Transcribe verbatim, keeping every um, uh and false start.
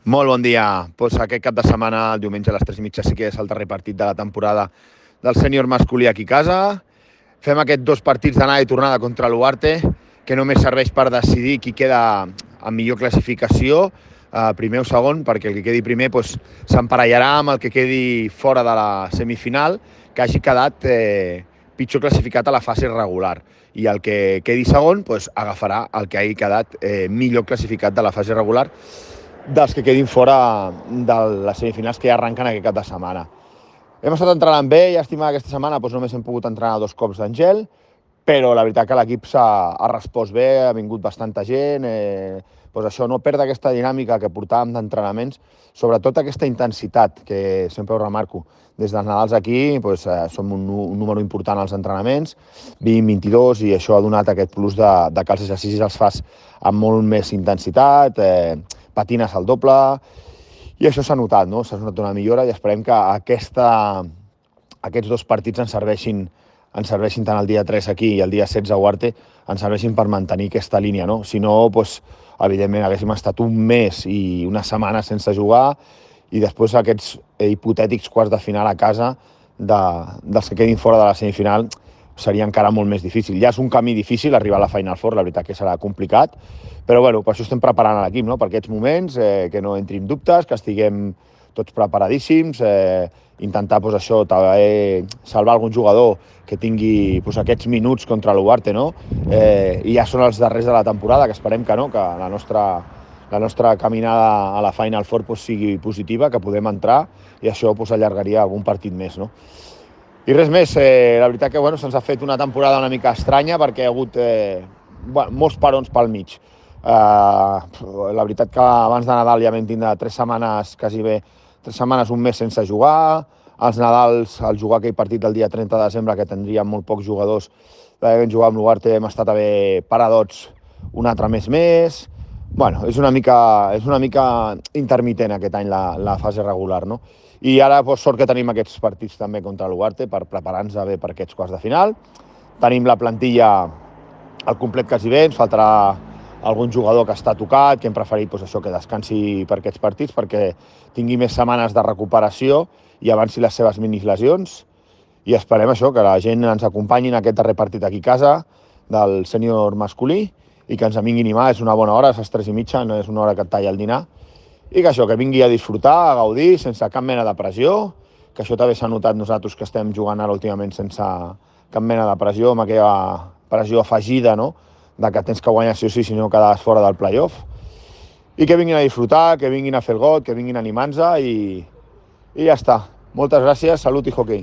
Molt bon dia. Pues aquest cap de setmana, el diumenge a les tres i mitja, sí que és el darrer partit de la temporada del sènior masculí aquí a casa. Fem aquests dos partits d'anada i tornada contra l'Uarte, que només serveix per decidir qui queda amb millor classificació, eh, primer o segon, perquè el que quedi primer pues, s'emparellarà amb el que quedi fora de la semifinal, que hagi quedat eh, pitjor classificat a la fase regular. I el que quedi segon pues, agafarà el que hagi quedat eh, millor classificat de la fase regular dels que quedin fora de les semifinals que ja arrenquen aquest cap de setmana. Hem estat entrenant bé, llàstima aquesta setmana doncs només hem pogut entrenar dos cops d'Angel, però la veritat que l'equip s'ha ha respost bé, ha vingut bastanta gent, eh, doncs això, no perdre aquesta dinàmica que portàvem d'entrenaments, sobretot aquesta intensitat, que sempre ho remarco. Des dels Nadals aquí doncs, eh, som un, un número important als entrenaments, vint vint-i-dos, i això ha donat aquest plus de, de que els exercicis els fas amb molt més intensitat, eh, patines al doble, i això s'ha notat, no? S'ha notat una millora i esperem que aquesta, aquests dos partits ens serveixin, ens serveixin tant el dia tres aquí i el dia setze a Uarte, ens serveixin per mantenir aquesta línia, no? Si no, doncs, evidentment, haguéssim estat un mes i una setmana sense jugar i després aquests hipotètics quarts de final a casa de, dels que quedin fora de la semifinal seria encara molt més difícil. Ja és un camí difícil arribar a la Final Four, la veritat que serà complicat, però bueno, per això estem preparant l'equip, no? Per aquests moments, eh, que no entrin dubtes, que estiguem tots preparadíssims, eh, intentar pues, això, també salvar algun jugador que tingui pues, aquests minuts contra l'Uarte, no? Eh, I ja són els darrers de la temporada, que esperem que no, que la nostra, la nostra caminada a la Final Four pues, sigui positiva, que podem entrar i això pues, allargaria algun partit més, no? I res més, eh, la veritat que bueno, se'ns ha fet una temporada una mica estranya perquè hi ha hagut eh, bueno, molts parons pel mig. Eh, la veritat que abans de Nadal ja vam tindre tres setmanes, quasi bé, tres setmanes, un mes sense jugar. Els Nadals, al jugar aquell partit del dia trenta de desembre, que tindríem molt pocs jugadors, vam jugar amb l'Uarte, hem estat a haver paradots un altre mes més. Bueno, és una mica, és una mica intermitent aquest any la, la fase regular, no? I ara, doncs, sort que tenim aquests partits també contra l'Uarte per preparar-nos bé per aquests quarts de final. Tenim la plantilla al complet quasi bé, ens faltarà algun jugador que està tocat, que hem preferit doncs, això, que descansi per aquests partits perquè tingui més setmanes de recuperació i avanci les seves minilesions. I esperem això, que la gent ens acompanyi en aquest darrer partit aquí a casa del sènior masculí i que ens vingui a animar. És una bona hora, és les tres i mitja, no és una hora que et talla el dinar. I que això, que vingui a disfrutar, a gaudir, sense cap mena de pressió, que això també s'ha notat nosaltres que estem jugant ara últimament sense cap mena de pressió, amb aquella pressió afegida, no?, de que tens que guanyar sí o sí, si no quedaves fora del play-off. I que vinguin a disfrutar, que vinguin a fer el got, que vinguin a animar-nos i, i ja està. Moltes gràcies, salut i hoquei.